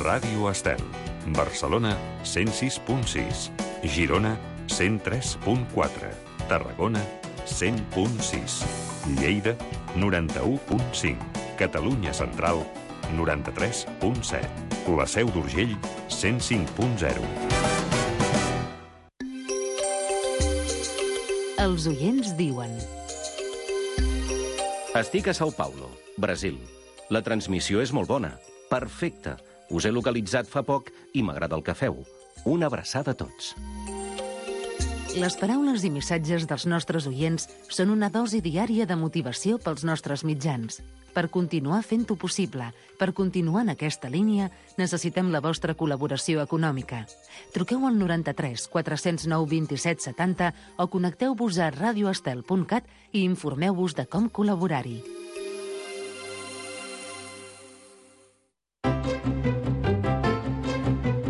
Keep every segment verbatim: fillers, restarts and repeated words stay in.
Ràdio Estel. Barcelona, cent sis punt sis. Girona, cent tres punt quatre. Tarragona, cent punt sis. Lleida, noranta-u punt cinc. Catalunya Central, noranta-tres punt set. La Seu d'Urgell, cent cinc punt zero. Els oients diuen... Estic a São Paulo, Brasil. La transmissió és molt bona. Perfecte. Us he localitzat fa poc i m'agrada el que feu. Una abraçada a tots. Les paraules i missatges dels nostres oients són una dosi diària de motivació pels nostres mitjans. Per continuar fent-ho possible, per continuar en aquesta línia, necessitem la vostra col·laboració econòmica. Truqueu al noranta-tres quatre cents nou vint-i-set setanta o connecteu-vos a radioestel punt cat i informeu-vos de com col·laborar-hi.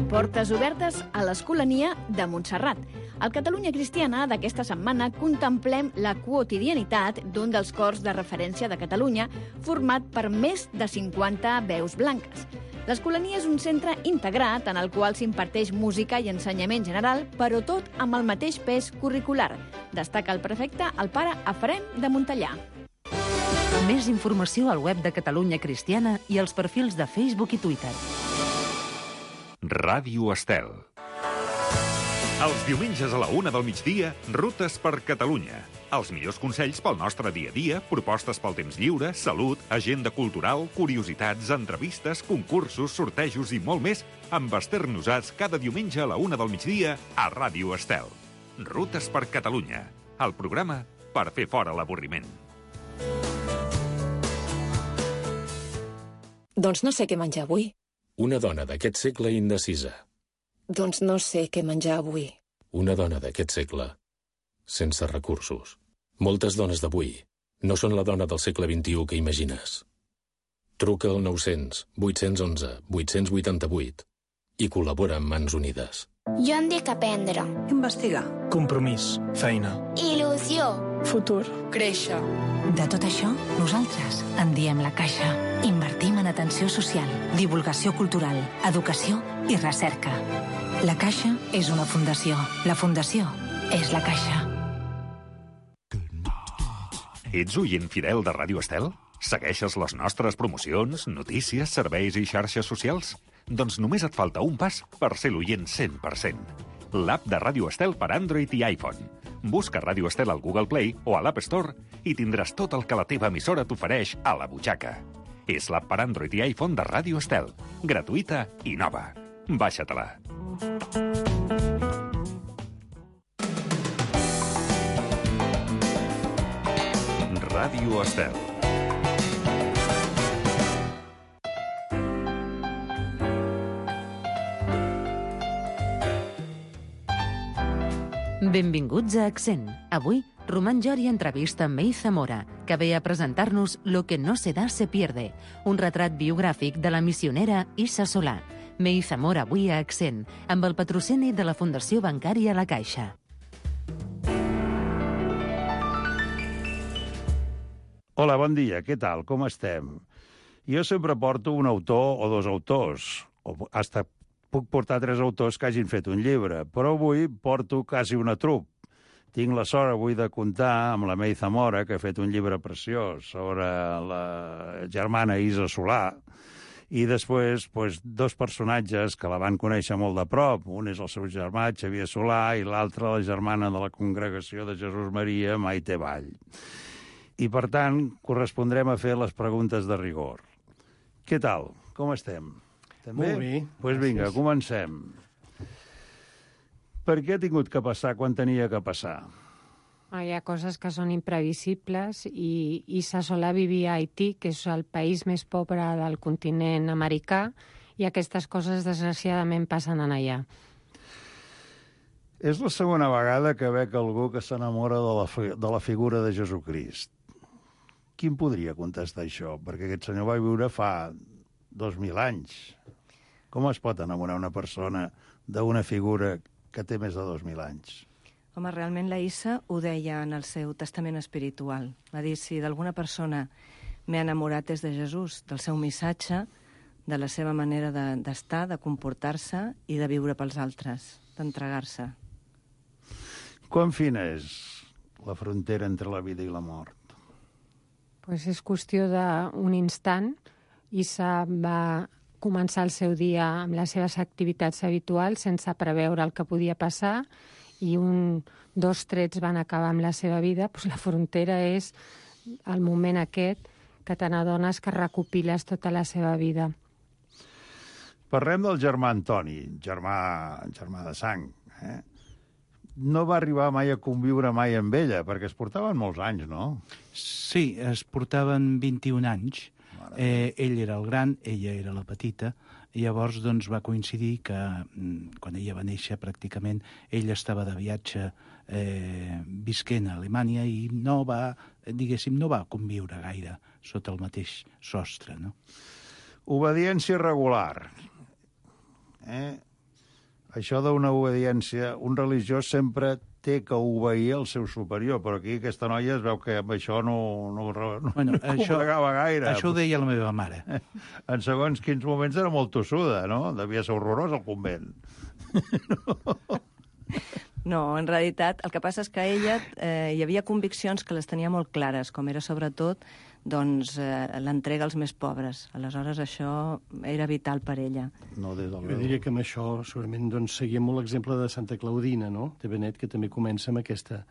Portes obertes a l'Escolania de Montserrat. Al Catalunya Cristiana d'aquesta setmana contemplem la quotidianitat d'un dels cors de referència de Catalunya, format per més de cinquanta veus blanques. L'Escolania és un centre integrat en el qual s'imparteix música i ensenyament general, però tot amb el mateix pes curricular. Destaca el prefecte, el pare Efrem de Montellà. Més informació al web de Catalunya Cristiana i als perfils de Facebook i Twitter. Ràdio Estel. Els diumenges a la una del migdia, Rutes per Catalunya. Els millors consells pel nostre dia a dia, propostes pel temps lliure, salut, agenda cultural, curiositats, entrevistes, concursos, sortejos i molt més, amb Esther Nosats cada diumenge a la una del migdia a Ràdio Estel. Rutes per Catalunya, el programa per fer fora l'avorriment. Doncs no sé què menjar avui. Una dona d'aquest segle indecisa. Doncs no sé què menjar avui. Una dona d'aquest segle sense recursos. Moltes dones d'avui no són la dona del segle vint-i-u que imagines. Truca al nou-cents vuit-cents onze vuit-cents vuitanta-vuit i col·labora amb Mans Unides. Jo em dic aprendre. Investigar. Compromís. Feina. Il·lusió. Futur. Créixer. De tot això, nosaltres en diem La Caixa. Invertim en atenció social, divulgació cultural, educació i recerca. La Caixa és una fundació. La fundació és La Caixa. Ets oient fidel de Ràdio Estel? Segueixes les nostres promocions, notícies, serveis i xarxes socials? Doncs només et falta un pas per ser l'oient cent per cent. L'app de Ràdio Estel per Android i iPhone. Busca Ràdio Estel al Google Play o a l'App Store i tindràs tot el que la teva emissora t'ofereix a la butxaca. És l'app per Android i iPhone de Ràdio Estel. Gratuïta i nova. Baixa-te-la. Ràdio Estel. Benvinguts a Accent. Avui, Román Jori entrevista amb May Zamora, que ve a presentar-nos Lo que no se da se pierde, un retrat biogràfic de la missionera Issa Solà. May Zamora avui a Accent, amb el patrocini de la Fundació Bancària La Caixa. Hola, bon dia, què tal, com estem? Jo sempre porto un autor o dos autors, o hasta puc portar tres autors que hagin fet un llibre, però avui porto quasi una trup. Tinc la sort avui de comptar amb la May Zamora, que ha fet un llibre preciós sobre la germana Issa Solà, i després pues, dos personatges que la van conèixer molt de prop. Un és el seu germà, Xavier Solà, i l'altre la germana de la Congregació de Jesús Maria, Maite Vall. I, per tant, correspondrem a fer les preguntes de rigor. Què tal? Com estem? També? Molt bé. Doncs pues vinga, comencem. Per què ha tingut que passar quan tenia que passar? Hi ha coses que són imprevisibles i Issa Solà vivia a Haití, que és el país més pobre del continent americà, i aquestes coses, desgraciadament, passen en allà. És la segona vegada que veig algú que s'enamora de, la, de la figura de Jesucrist. Qui em podria contestar això? Perquè aquest senyor va viure fa dos mil anys. Com es pot enamorar una persona d'una figura que té més de dos mil anys? Home, realment la Issa ho deia en el seu testament espiritual. Va dir, si d'alguna persona m'he enamorat és de Jesús, del seu missatge, de la seva manera d'estar, de, de comportar-se i de viure pels altres, d'entregar-se. Quan fina és la frontera entre la vida i la mort? Pues és qüestió d'un instant. Issa va començar el seu dia amb les seves activitats habituals sense preveure el que podia passar i un, dos trets van acabar amb la seva vida. Pues la frontera és el moment aquest que te n'adones que recopiles tota la seva vida. Parlem del germà Antoni, germà, germà de sang. Eh? No va arribar mai a conviure mai amb ella, perquè es portaven molts anys, no? Sí, es portaven vint-i-un anys. Eh, ell era el gran, ella era la petita, i llavors doncs, va coincidir que quan ella va néixer pràcticament ell estava de viatge eh, visquent a Alemanya i no va, diguéssim, no va conviure gaire sota el mateix sostre, no? Obediència regular. Eh? Això d'una obediència, un religiós sempre té que obeir el seu superior, però aquí aquesta noia es veu que amb això no, no, no, bueno, no això, combregava gaire. Això ho deia la meva mare. En segons quins moments era molt tossuda, no? Devia ser horrorós el convent. No. No, en realitat, el que passa és que ella eh, hi havia conviccions que les tenia molt clares, com era sobretot doncs, eh, l'entrega als més pobres. Aleshores, això era vital per ella. No, des del Jo diria que amb això segurament doncs, seguia molt l'exemple de Santa Claudina, no?, de Benet, que també comença amb aquesta...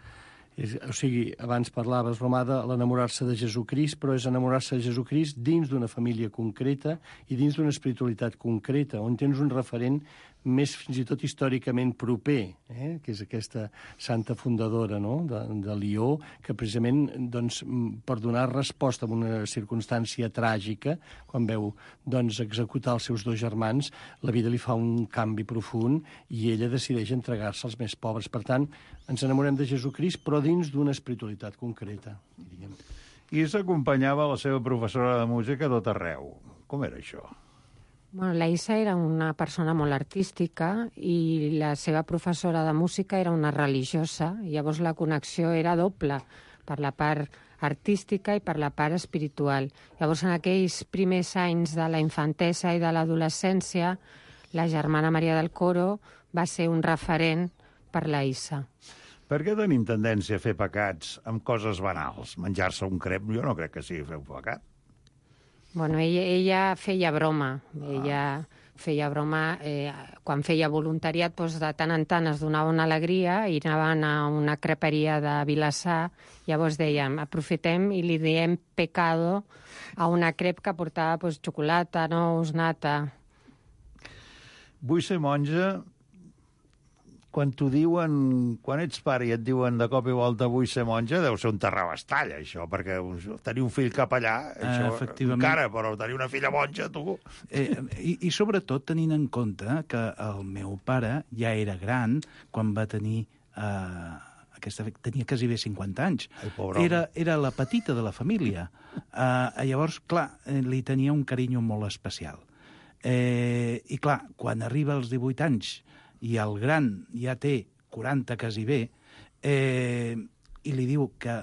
És, o sigui, abans parlaves, Romà, de l'enamorar-se de Jesucrist, però és enamorar-se de Jesucrist dins d'una família concreta i dins d'una espiritualitat concreta, on tens un referent més fins i tot històricament proper, eh? que és aquesta santa fundadora, no?, de, de Lió, que precisament doncs, per donar resposta a una circumstància tràgica, quan veu doncs, executar els seus dos germans, la vida li fa un canvi profund i ella decideix entregar-se als més pobres. Per tant, ens enamorem de Jesucrist, però dins d'una espiritualitat concreta, diríem. I s'acompanyava la seva professora de música a tot arreu. Com era això? Bueno, la Issa era una persona molt artística i la seva professora de música era una religiosa. Llavors la connexió era doble, per la part artística i per la part espiritual. Llavors en aquells primers anys de la infantesa i de l'adolescència, la germana Maria del Coro va ser un referent per la Issa. Per què tenim tendència a fer pecats amb coses banals? Menjar-se un crep, jo no crec que sigui fer un pecat. Bueno, ella, ella feia broma. Ah. Ella feia broma, eh, quan feia voluntariat, doncs de tant en tant es donava una alegria i anaven a una creperia de Vilassar, llavors dèiem, aprofitem i li diem pecado a una crep que portava doncs, xocolata, nous, nata. Vull ser monja. Quan t'ho diuen, quan ets pare i et diuen de cop i volta vull ser monja, deu ser un terrabastall, això, perquè tenir un fill capellà, això, uh, encara, però tenir una filla monja, tu... Eh, i, I sobretot tenint en compte que el meu pare ja era gran quan va tenir... Eh, aquesta, tenia quasi bé cinquanta anys. Ai, era, era la petita de la família. Eh, llavors, clar, li tenia un carinyo molt especial. Eh, I clar, quan arriba als divuit anys i el gran ja té quaranta quasi bé, eh, i li diu que,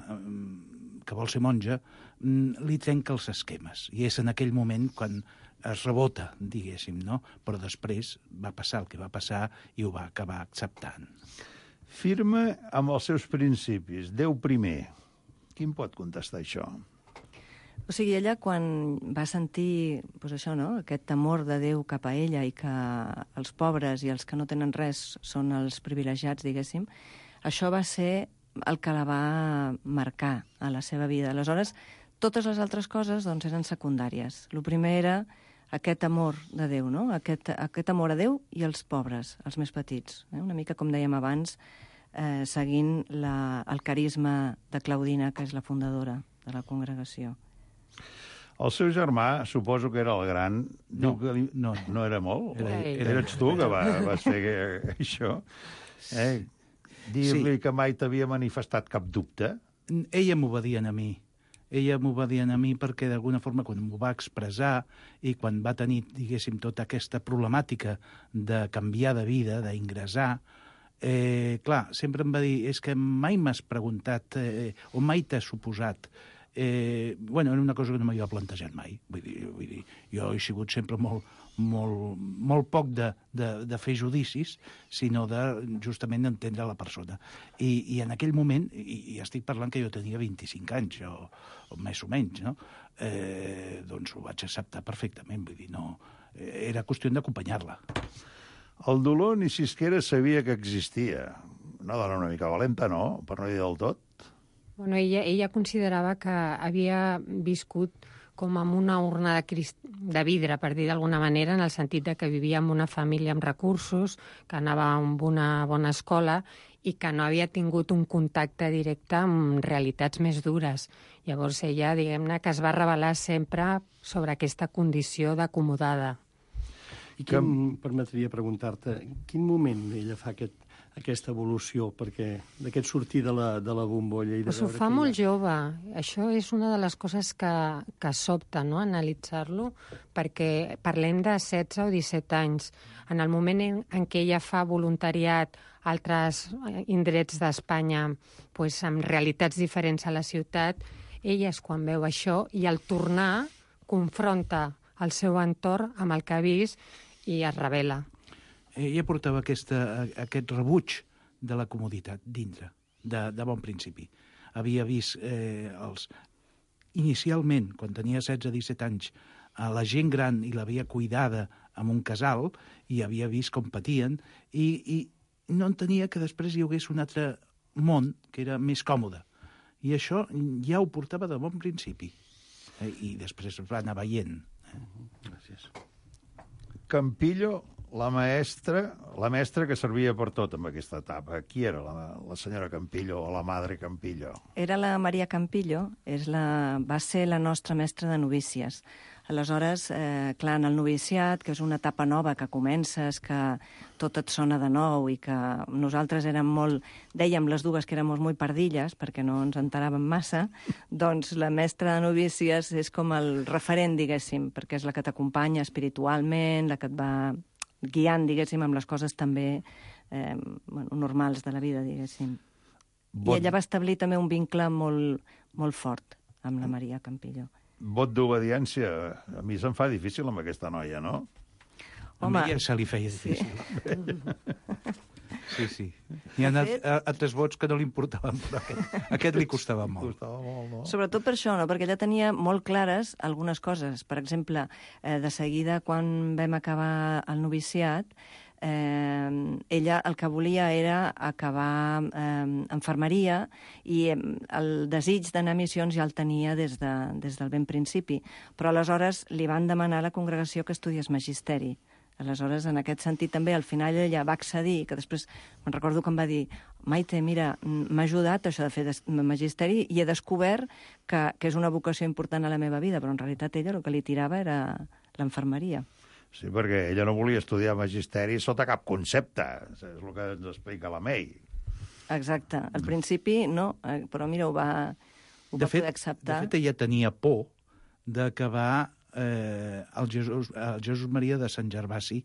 que vol ser monja, li trenca els esquemes. I és en aquell moment quan es rebota, diguéssim, no? Però després va passar el que va passar i ho va acabar acceptant. Firma amb els seus principis, Déu primer. Qui em pot contestar això? O sigui, ella quan va sentir doncs això, no? Aquest temor de Déu cap a ella i que els pobres i els que no tenen res són els privilegiats, diguéssim, això va ser el que la va marcar a la seva vida. Aleshores, totes les altres coses doncs, eren secundàries. El primer era aquest amor de Déu, no? Aquest, aquest amor a Déu i als pobres, als més petits. Eh? Una mica, com dèiem abans, eh, seguint la, el carisma de Claudina, que és la fundadora de la congregació. El seu germà, suposo que era el gran... No, que li... no, no era molt? Era, era... Eres tu que va, vas fer això? Eh? Dir-li sí. Que mai t'havia manifestat cap dubte? Ella m'ho va dir a mi. Ella m'ho va dir a mi perquè, d'alguna forma, quan m'ho va expressar i quan va tenir, diguéssim, tota aquesta problemàtica de canviar de vida, d'ingressar, eh, clar, sempre em va dir, és que mai m'has preguntat, eh, o mai t'has suposat Eh, bueno, era una cosa que no m'havia plantejat mai. Vull dir, vull dir, jo he sigut sempre molt, molt, molt poc de, de, de fer judicis, sinó de justament d'entendre la persona. I, i en aquell moment, i, i estic parlant que jo tenia vint-i-cinc anys, o, o més o menys, no? Eh, doncs ho vaig acceptar perfectament. Vull dir, no, era qüestió d'acompanyar-la. El dolor ni siquiera sabia que existia. Una dona una mica valenta, no? Per no dir del tot. Bueno, ella, ella considerava que havia viscut com amb una urna de, crist... de vidre, per dir d'alguna manera, en el sentit de que vivia amb una família amb recursos, que anava amb una bona escola i que no havia tingut un contacte directe amb realitats més dures. Llavors ella, diguem-ne, que es va revelar sempre sobre aquesta condició d'acomodada. I quin, em permetria preguntar-te, en quin moment ella fa aquest, aquesta evolució perquè d'aquest sortir de la, de la bombolla? I de pues ho fa molt jove. Això és una de les coses que, que sobta, no?, analitzar-lo, perquè parlem de setze o disset anys. En el moment en, en què ella fa voluntariat a altres indrets d'Espanya, pues, amb realitats diferents a la ciutat, ella és quan veu això i al tornar confronta el seu entorn amb el que ha vist i es revela. Ella portava aquesta, aquest rebuig de la comoditat dintre, de, de bon principi. Havia vist eh, els... Inicialment, quan tenia setze o disset anys, a la gent gran i l'havia cuidada en un casal i havia vist com patien i, i no entenia que després hi hagués un altre món que era més còmode. I això ja ho portava de bon principi. Eh, I després es va anar veient. Eh? Gràcies. Campillo, la maestra, la mestra que servia per tot en aquesta etapa. Qui era la, la senyora Campillo o la madre Campillo? Era la Maria Campillo, és la, va ser la nostra mestra de novícies. Aleshores, eh, clar, en el noviciat, que és una etapa nova que comences, que tot et sona de nou i que nosaltres érem molt... Dèiem les dues que érem molt pardilles, perquè no ens enteràvem massa, doncs la mestra de novícies és com el referent, diguéssim, perquè és la que t'acompanya espiritualment, la que et va guiant, diguéssim, amb les coses també eh, bueno, normals de la vida, diguéssim. Bon... I ella va establir també un vincle molt, molt fort amb la Maria Campillo. Vot d'obediència. A mi se'm fa difícil amb aquesta noia, no? Home, a mi ja se li feia difícil. Sí, sí. sí. Hi ha fet... altres vots que no li importaven, però aquest, aquest li costava molt. Costava molt, no? Sobretot per això, no? Perquè ella tenia molt clares algunes coses. Per exemple, eh, de seguida, quan vam acabar el noviciat, eh, ella el que volia era acabar eh, infermeria i eh, el desig d'anar a missions ja el tenia des, de, des del ben principi. Però aleshores li van demanar a la congregació que estudiés magisteri. Aleshores, en aquest sentit, també, al final ella va accedir, que després me'n recordo que em va dir Maite, mira, m'ha ajudat això de fer magisteri i he descobert que, que és una vocació important a la meva vida, però en realitat ella el que li tirava era l'infermeria. Sí, perquè ella no volia estudiar magisteri sota cap concepte. És el que ens explica la May. Exacte. Al principi, no, però mira, ho va, ho va fet, poder acceptar. De fet, ella tenia por d'acabar eh, el, Jesús, el Jesús Maria de Sant Gervasi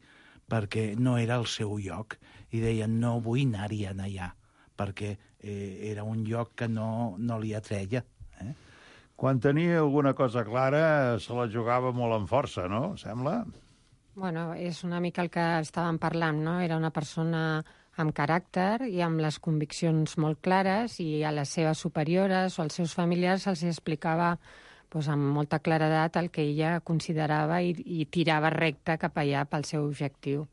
perquè no era el seu lloc. I deia, no vull anar-hi allà, perquè eh, era un lloc que no, no li atreia. Eh? Quan tenia alguna cosa clara, se la jugava molt amb força, no? Sembla? Bueno, és una mica el que estàvem parlant, no? Era una persona amb caràcter i amb les conviccions molt clares i a les seves superiores o als seus familiars els explicava pues, amb molta claredat el que ella considerava i, i tirava recte cap allà pel seu objectiu.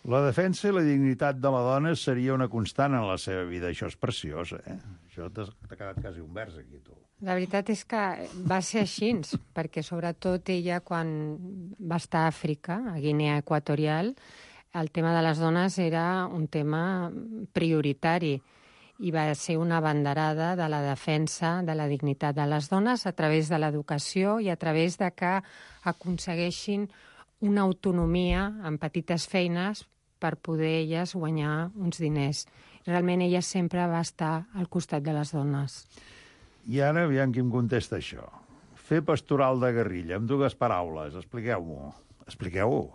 La defensa i la dignitat de la dona seria una constant en la seva vida. Això és preciós, eh? Això t'ha quedat quasi un vers aquí, tu. La veritat és que va ser així, perquè sobretot ella, quan va estar a Àfrica, a Guinea Equatorial, el tema de les dones era un tema prioritari i va ser una banderada de la defensa de la dignitat de les dones a través de l'educació i a través de que aconsegueixin una autonomia en petites feines per poder elles guanyar uns diners. Realment ella sempre va estar al costat de les dones. I ara, aviam qui em contesta això. Fer pastoral de guerrilla, amb dues paraules. Expliqueu-m'ho. Expliqueu-ho.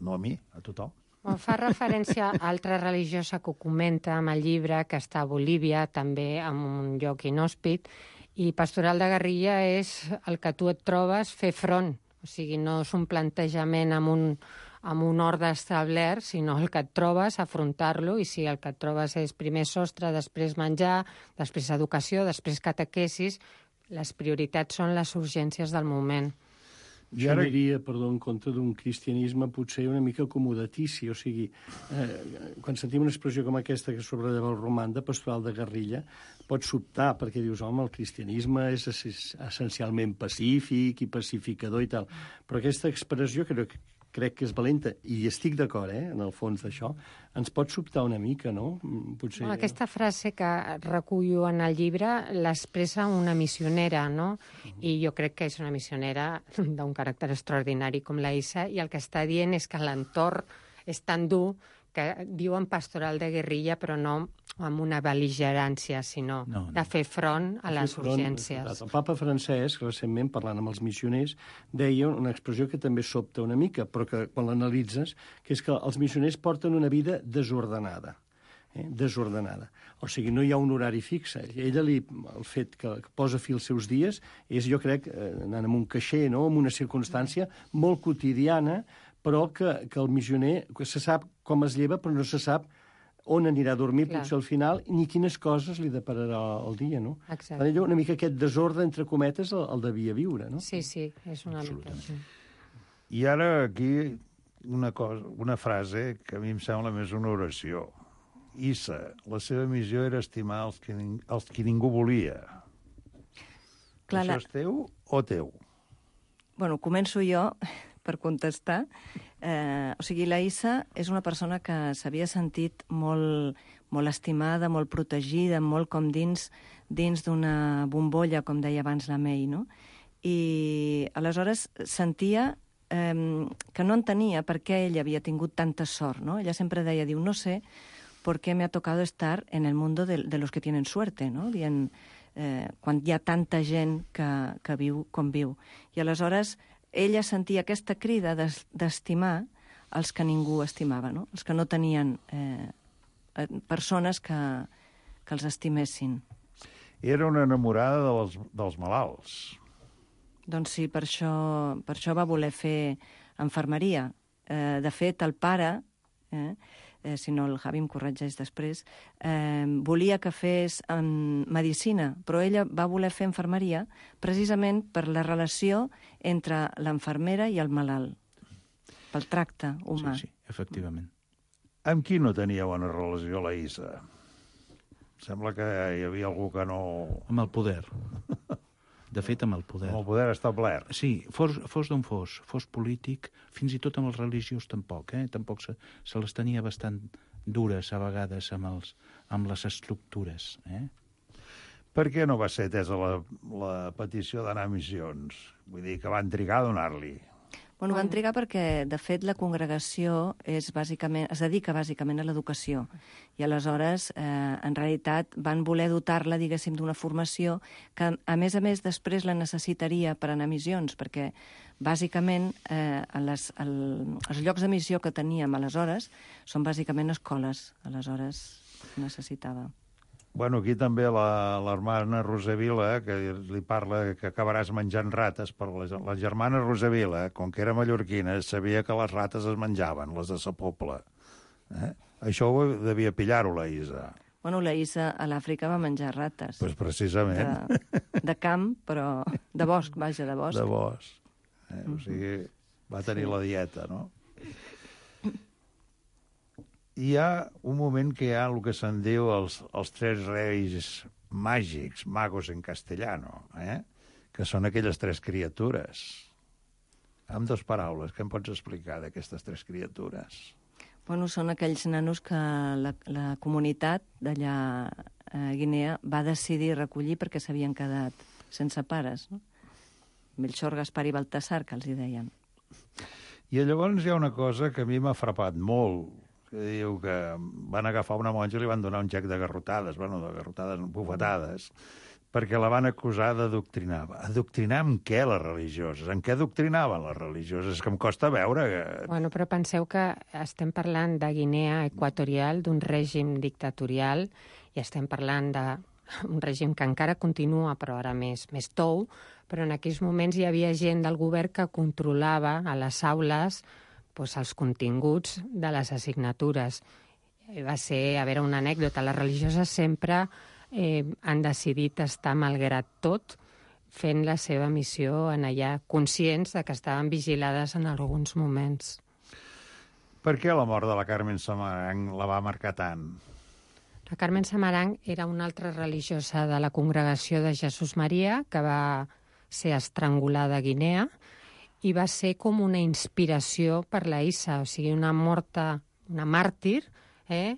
No a mi, a tothom. Bueno, fa referència a altra religiosa que ho comenta amb el llibre, que està a Bolívia, també en un lloc inhòspit, I pastoral de guerrilla és el que tu et trobes fer front. O sigui, no és un plantejament amb un, amb un ordre establert, sinó el que et trobes, afrontar-lo, i si el que et trobes és primer sostre, després menjar, després educació, després catequesis, les prioritats són les urgències del moment. Jo ara... aniria, perdó, en compte d'un cristianisme potser una mica acomodatici, o sigui, eh, quan sentim una expressió com aquesta que sobrelleva el roman de pastoral de guerrilla, pots sobtar perquè dius, home, el cristianisme és essencialment pacífic i pacificador i tal, però aquesta expressió crec, crec que és valenta, i estic d'acord, eh, en el fons d'això, ens pot sobtar una mica, no? Potser... Bueno, aquesta frase que recullo en el llibre l'expressa una missionera, no? I jo crec que és una missionera d'un caràcter extraordinari com la Isa, i el que està dient és que l'entorn és tan dur que diuen pastoral de guerrilla, però no amb una bel·ligerància, sinó no, no. de fer front a les front, urgències. El papa Francesc, recentment, parlant amb els missioners, deia una expressió que també sobta una mica, però que quan l'analitzes, que és que els missioners porten una vida desordenada. Eh? Desordenada. O sigui, no hi ha un horari fixe. Ella, li, el fet que posa fi als seus dies, és, jo crec, anant amb un caixer, no? Amb una circumstància molt quotidiana, però que, que el missioner que se sap com es lleva, però no se sap on anirà a dormir, Clar. potser al final, ni quines coses li depararà el dia, no? Exacte. Ella, una mica aquest desordre, entre cometes, el, el devia viure, no? Sí, sí, és una mica així. I ara aquí una, cosa, una frase que a mi em sembla més una oració. Issa, la seva missió era estimar els que, els que ningú volia. Clar, Això la... és teu o teu? Bueno, començo jo per contestar. Eh, o sigui, la Issa és una persona que s'havia sentit molt, molt estimada, molt protegida, molt com dins, dins d'una bombolla, com deia abans la May, no? I aleshores sentia eh, que no entenia per què ella havia tingut tanta sort, no? Ella sempre deia, diu, no sé por qué me ha tocado estar en el mundo de, de los que tienen suerte, no? Dient, eh, quan hi ha tanta gent que, que viu com viu. I aleshores ella sentia aquesta crida d'estimar els que ningú estimava, no? Els que no tenien eh, persones que, que els estimessin. Era una enamorada dels, dels malalts. Doncs sí, per això, per això va voler fer infermeria. Eh, de fet, el pare, eh, eh, si no el Javi em corregeix després, eh, volia que fes eh, medicina, però ella va voler fer infermeria precisament per la relació entre l'infermera i el malalt, pel tracte humà. Sí, sí, efectivament. Amb qui no tenia bona relació la Issa? Sembla que hi havia algú que no... Amb el poder. De fet, amb el poder. Amb el poder establert. Sí, fos, fos d'on fos, fos polític, fins i tot amb els religiosos tampoc, eh? Tampoc se, se les tenia bastant dures a vegades amb, els, amb les estructures, eh? Per què no va ser atesa la, la petició d'anar a missions? Vull dir que van trigar a donar-li. Bueno, van trigar perquè, de fet, la congregació és bàsicament, es dedica bàsicament a l'educació. I aleshores, eh, en realitat, van voler dotar-la, diguéssim, d'una formació que, a més a més, després la necessitaria per anar a missions, perquè, bàsicament, eh, en les, el, els llocs de missió que teníem aleshores són bàsicament escoles. Aleshores, necessitava. Bueno, aquí també la, la germana Rosavila, que li parla que acabaràs menjant rates, però la, la germana Rosavila, com que era mallorquina, sabia que les rates es menjaven, les de sa pobla. Eh? Això ho devia pillar-ho, la Isa. Bueno, la Isa a l'Àfrica va menjar rates. Pues precisament. De, de camp, però de bosc, vaja, de bosc. De bosc. Eh? O sigui, va tenir sí. la dieta, no? Hi ha un moment que hi ha el que se'n diu els, els tres reis màgics, magos en castellano, eh? Que són aquelles tres criatures. Amb dues paraules, què em pots explicar d'aquestes tres criatures? Bueno, són aquells nanos que la, la comunitat d'allà a Guinea va decidir recollir perquè s'havien quedat sense pares, no? Melchor, Gaspar i Baltasar, que els hi deien. I llavors hi ha una cosa que a mi m'ha frapat molt, que diu que van agafar una monja i li van donar un gec de garrotades, bueno, de garrotades, bufetades, perquè la van acusar d'adoctrinar. Adoctrinar amb què, les religioses? En què adoctrinaven les religioses? És que em costa veure que... Bueno, però penseu que estem parlant de Guinea Equatorial, d'un règim dictatorial, i estem parlant de un règim que encara continua, però ara més, més tou, però en aquells moments hi havia gent del govern que controlava a les aules doncs, els continguts de les assignatures. Va ser, a veure, una anècdota. Les religioses sempre eh, han decidit estar, malgrat tot, fent la seva missió en allà, conscients de que estaven vigilades en alguns moments. Per què la mort de la Carmen Samaranch la va marcar tant? La Carmen Samaranch era una altra religiosa de la Congregació de Jesús Maria que va ser estrangulada a Guinea i va ser com una inspiració per la Issa, o sigui, una morta, una màrtir, eh?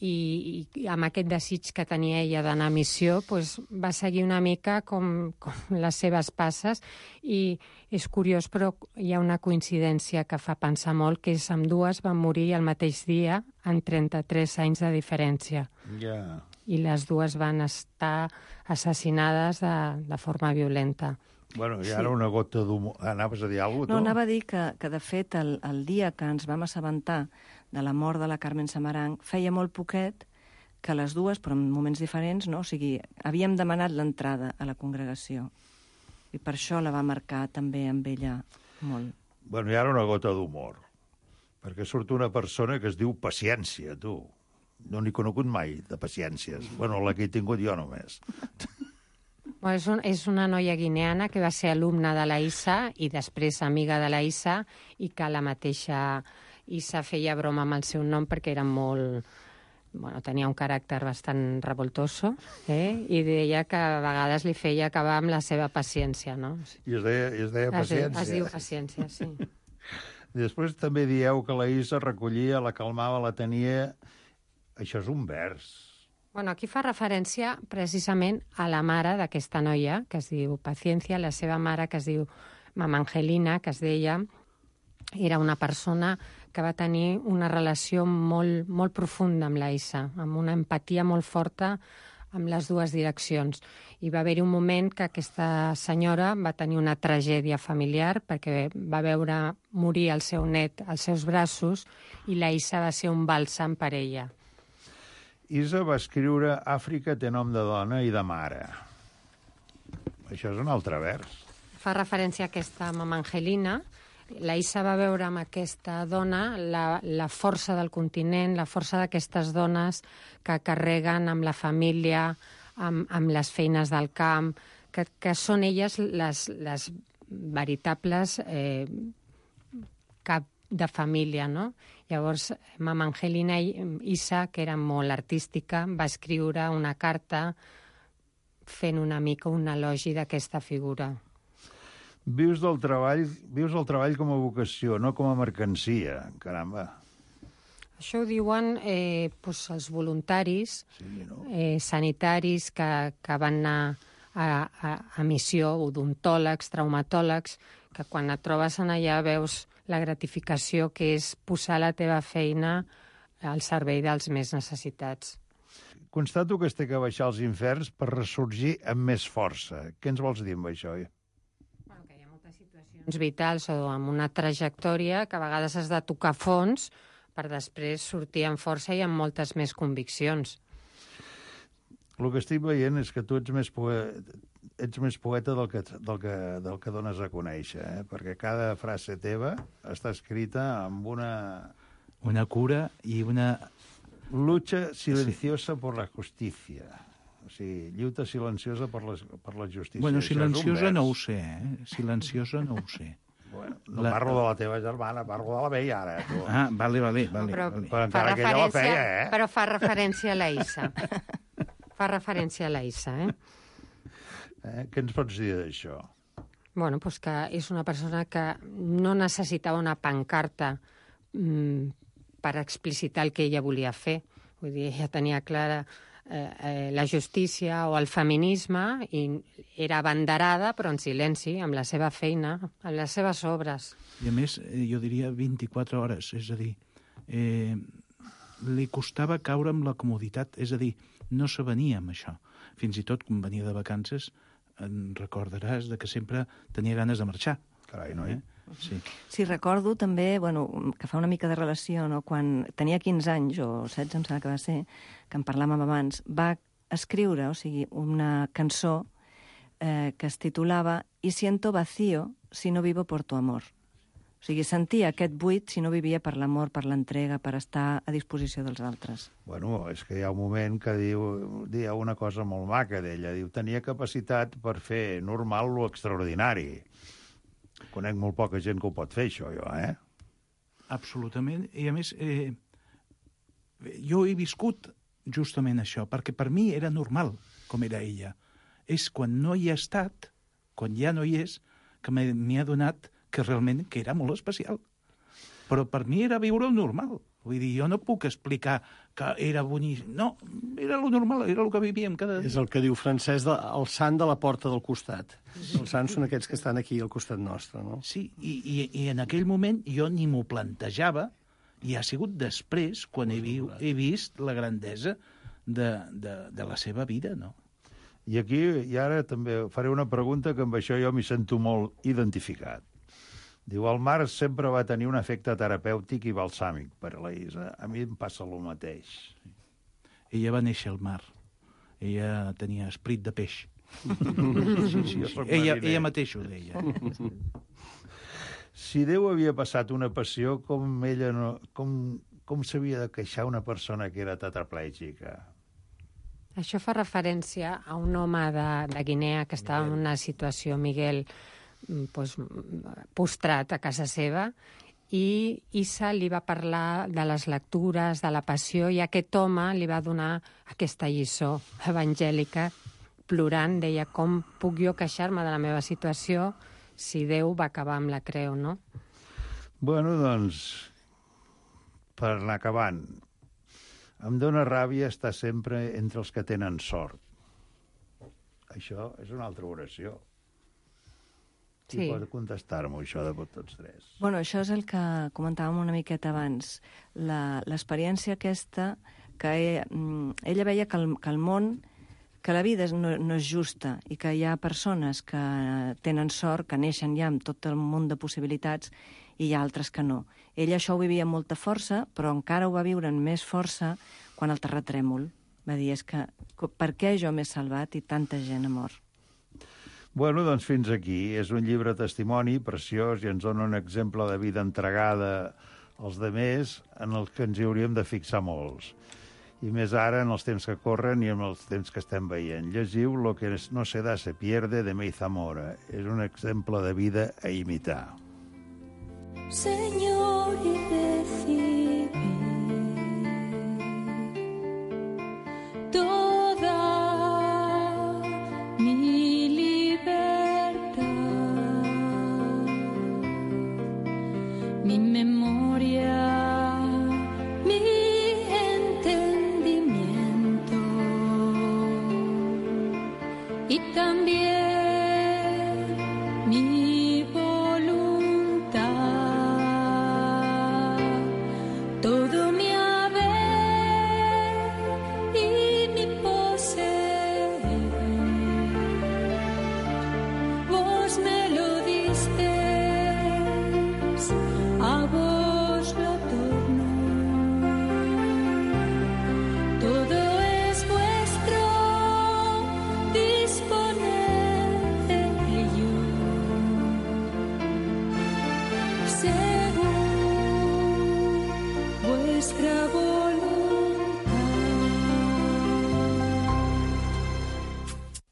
I, i amb aquest desig que tenia ella d'anar a missió, doncs, va seguir una mica com, com les seves passes, i és curiós, però hi ha una coincidència que fa pensar molt, que és ambdues van morir el mateix dia en trenta-tres anys de diferència. Yeah. I les dues van estar assassinades de, de forma violenta. Bueno, i ara sí. Una gota d'humor. Anaves a dir alguna cosa, no, tu? No, anava a dir que, que de fet, el, el dia que ens vam assabentar de la mort de la Carmen Samaranch, feia molt poquet que les dues, però en moments diferents, no? O sigui, havíem demanat l'entrada a la congregació. I per això la va marcar també amb ella molt. Bueno, i ara una gota d'humor. Perquè surt una persona que es diu Paciència, tu. No n'he conegut mai, de paciències. Bueno, la que he tingut jo només. Bueno, és, un, és una noia guineana que va ser alumna de la Issa i després amiga de la Issa, i que la mateixa Issa feia broma amb el seu nom perquè era molt... Bueno, tenia un caràcter bastant revoltoso, eh? I deia que a vegades li feia acabar amb la seva paciència, no? I es deia, i es deia Paciència. Es, es diu Paciència, sí. I després també dieu que la Issa recollia, la calmava, la tenia... Això és un vers. Bueno, aquí fa referència precisament a la mare d'aquesta noia, que es diu Paciència, la seva mare, que es diu Mama Angelina, que es deia, era una persona que va tenir una relació molt, molt profunda amb la Issa, amb una empatia molt forta amb les dues direccions. I va haver-hi un moment que aquesta senyora va tenir una tragèdia familiar perquè va veure morir el seu net als seus braços i la Issa va ser un bàlsam per ella. Issa va escriure Àfrica té nom de dona i de mare. Això és un altre vers. Fa referència a aquesta Mama Angelina. La Issa va veure amb aquesta dona la, la força del continent, la força d'aquestes dones que carreguen amb la família, amb, amb les feines del camp, que, que són elles les, les veritables eh, cap de família, no? Llavors, Mama Angelina Issa, que era molt artística, va escriure una carta fent una mica un elogi d'aquesta figura. Vius del treball, vius el treball com a vocació, no com a mercancia, caramba. Això ho diuen eh, doncs els voluntaris sí, no? eh, sanitaris que, que van anar a, a, a missió, odontòlegs, traumatòlegs, que quan et trobes en allà veus la gratificació que és posar la teva feina al servei dels més necessitats. Constato que es té que baixar als inferns per ressorgir amb més força. Què ens vols dir amb això? Bueno, que hi ha moltes situacions vitals o amb una trajectòria que a vegades has de tocar fons per després sortir amb força i amb moltes més conviccions. El que estic veient és que tu ets més poeta, ets més poeta del que, del que, del que dones a conèixer, eh? Perquè cada frase teva està escrita amb una... Una cura i una... Lucha silenciosa sí. por la justicia. O sigui, lluita silenciosa per la, per la justícia. Bueno, silenciosa no ho sé, eh? Silenciosa no ho sé. Bueno, no la... parlo de la teva germana, parlo de la veia ara. Tu. Ah, vale, vale. vale, però, vale. Però encara que ella la feia, eh? Però fa referència a la Issa. Fa referència a la Issa, eh? eh? Què ens pots dir d'això? Bueno, doncs que és una persona que no necessitava una pancarta mmm, per explicitar el que ella volia fer. Vull dir, ella tenia clara eh, eh, la justícia o el feminisme i era abanderada, però en silenci, amb la seva feina, amb les seves obres. I a més, jo diria vint-i-quatre hores, és a dir, eh, li costava caure amb la comoditat, és a dir, no s'avenia amb això. Fins i tot, quan venia de vacances, en recordaràs de que sempre tenia ganes de marxar. Carai, noi. Eh? Sí. Sí, recordo també, bueno, que fa una mica de relació, no? Quan tenia quinze anys, o setze, em sembla que va ser, que en parlàvem abans, va escriure, o sigui, una cançó eh, que es titulava «Y siento vacío si no vivo por tu amor». O sigui, sentia aquest buit si no vivia per l'amor, per l'entrega, per estar a disposició dels altres. Bueno, és que hi ha un moment que diu, diu una cosa molt maca d'ella. Diu, tenia capacitat per fer normal lo extraordinari. Conec molt poca gent que ho pot fer, això, jo, eh? Absolutament. I, a més, eh, jo he viscut justament això, perquè per mi era normal com era ella. És quan no hi ha estat, quan ja no hi és, que m'he adonat que realment que era molt especial. Però per mi era viure el normal. Vull dir, jo no puc explicar que era bonic. No, era lo normal, era el que vivíem cada dia. És el que diu Francesc, de, el sant de la porta del costat. Els sants són aquests que estan aquí al costat nostre, no? Sí, i, i, i en aquell moment jo ni m'ho plantejava, i ha sigut després quan he, vi, he vist la grandesa de, de, de la seva vida, no? I aquí, i ara també faré una pregunta que amb això jo m'hi sento molt identificat. Diu, el mar sempre va tenir un efecte terapèutic i balsàmic per a la Isa. A mi em passa el mateix. Ella va néixer al mar. Ella tenia esperit de peix. Sí, sí, sí. Ella, ella mateixa ho deia. Si Déu havia passat una passió, com ella no, com, com s'havia de queixar una persona que era tetraplègica? Això fa referència a un home de, de Guinea que estava en una situació, Miguel, pues, postrat a casa seva, i Isa li va parlar de les lectures, de la passió, i aquest home li va donar aquesta lliçó evangèlica, plorant, deia, com puc jo queixar-me de la meva situació si Déu va acabar amb la creu, no? Bueno, doncs, per anar acabant, em dóna ràbia estar sempre entre els que tenen sort. Això és una altra oració. Qui Sí. pot contestar-m'ho, això de tots tres? Bueno, això és el que comentàvem una miqueta abans. La- L'experiència aquesta, que ella, ella veia que el, que el món, que la vida no, no és justa i que hi ha persones que tenen sort, que neixen ja amb tot el munt de possibilitats, i hi ha altres que no. Ella això ho vivia amb molta força, però encara ho va viure amb més força quan el terratrèmol. Va dir, és que per què jo m'he salvat i tanta gent ha mort? Bueno, doncs fins aquí. És un llibre testimoni preciós i ens dona un exemple de vida entregada als demés en els que ens hi hauríem de fixar molts. I més ara en els temps que corren i en els temps que estem veient. Llegiu Lo que no se da se pierde de May Zamora. És un exemple de vida a imitar. Señor, y recibí toda mi libertad, mi memoria, mi entendimiento y también mi voluntad. Todo mi haber y mi poseer, vos me lo disteis, a vos lo torno. Todo es vuestro, disponed de ello, según vuestra voluntad.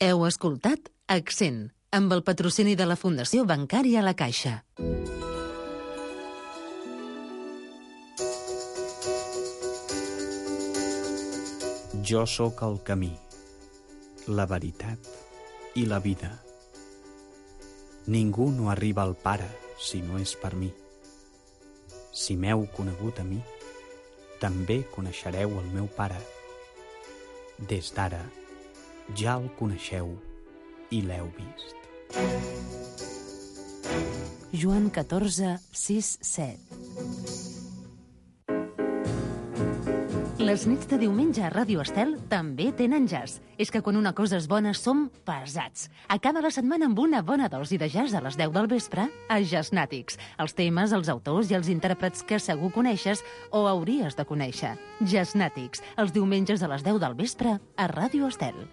Heu escoltat Accent, amb el patrocini de la Fundació Bancària La Caixa. Jo sóc el camí, la veritat i la vida. Ningú no arriba al Pare si no és per mi. Si m'heu conegut a mi, també coneixereu el meu Pare. Des d'ara, ja el coneixeu i l'heu vist. Joan catorze, sis, set. Les nits de diumenge a Ràdio Estel també tenen jazz. És que quan una cosa és bona som pesats. Acaba la setmana amb una bona dosi de jazz a les deu del vespre a Jazznàtics. Els temes, els autors i els intèrprets que segur coneixes o hauries de conèixer. Jazznàtics, els diumenges a les deu del vespre a Ràdio Estel.